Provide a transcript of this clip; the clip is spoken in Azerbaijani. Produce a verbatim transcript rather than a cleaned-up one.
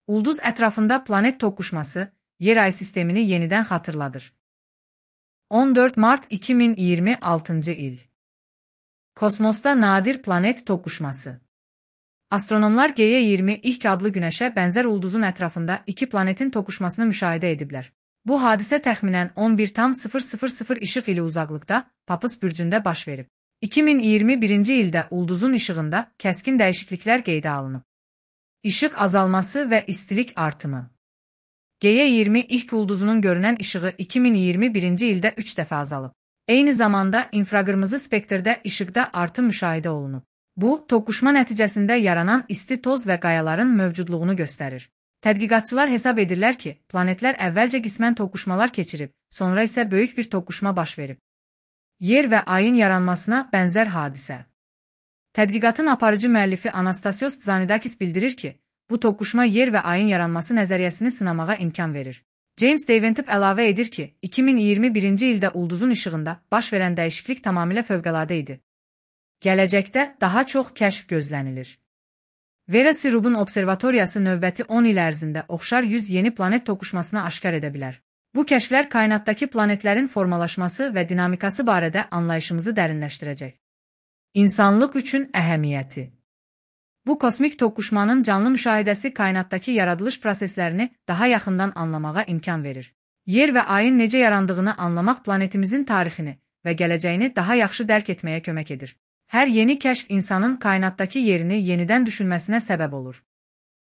Ulduz ətrafında planet toqquşması Yer-ay sistemini yenidən xatırladır. on dörd mart iki min iyirmi altıncı il. Kosmosda nadir planet toqquşması. Astronomlar G Y iyirmi ilk adlı Günəşə bənzər ulduzun ətrafında iki planetin toqquşmasını müşahidə ediblər. Bu hadisə təxminən on bir tam sıfır sıfır sıfır işıq ili uzaqlıqda Papız bürcündə baş verib. iki min iyirmi birinci ildə ulduzun işığında kəskin dəyişikliklər qeydə alınıb. İşıq azalması və istilik artımı. G Y iyirmi ilk ulduzunun görünən işığı iki min iyirmi birinci ildə üç dəfə azalıb. Eyni zamanda infraqırmızı spektrdə işıqda artım müşahidə olunub. Bu, toqquşma nəticəsində yaranan isti toz və qayaların mövcudluğunu göstərir. Tədqiqatçılar hesab edirlər ki, planetlər əvvəlcə qismən toqquşmalar keçirib, sonra isə böyük bir toqquşma baş verib. Yer və ayın yaranmasına bənzər hadisə. Tədqiqatın aparıcı müəllifi Anastasios Tzanidakis bildirir ki, bu toqquşma yer və ayın yaranması nəzəriyyəsini sınamağa imkan verir. James Daventip əlavə edir ki, iki min iyirmi birinci ildə ulduzun işığında baş verən dəyişiklik tamamilə fövqəladə idi. Gələcəkdə daha çox kəşf gözlənilir. Vera Sirub'un observatoriyası növbəti on il ərzində oxşar yüz yeni planet toqquşmasını aşkar edə bilər. Bu kəşflər kainatdakı planetlərin formalaşması və dinamikası barədə anlayışımızı dərinləşdirəcək. İnsanlıq üçün əhəmiyyəti. Bu kosmik toqquşmanın canlı müşahidəsi kainatdakı yaradılış proseslərini daha yaxından anlamağa imkan verir. Yer və ayın necə yarandığını anlamaq planetimizin tarixini və gələcəyini daha yaxşı dərk etməyə kömək edir. Hər yeni kəşf insanın kainatdakı yerini yenidən düşünməsinə səbəb olur.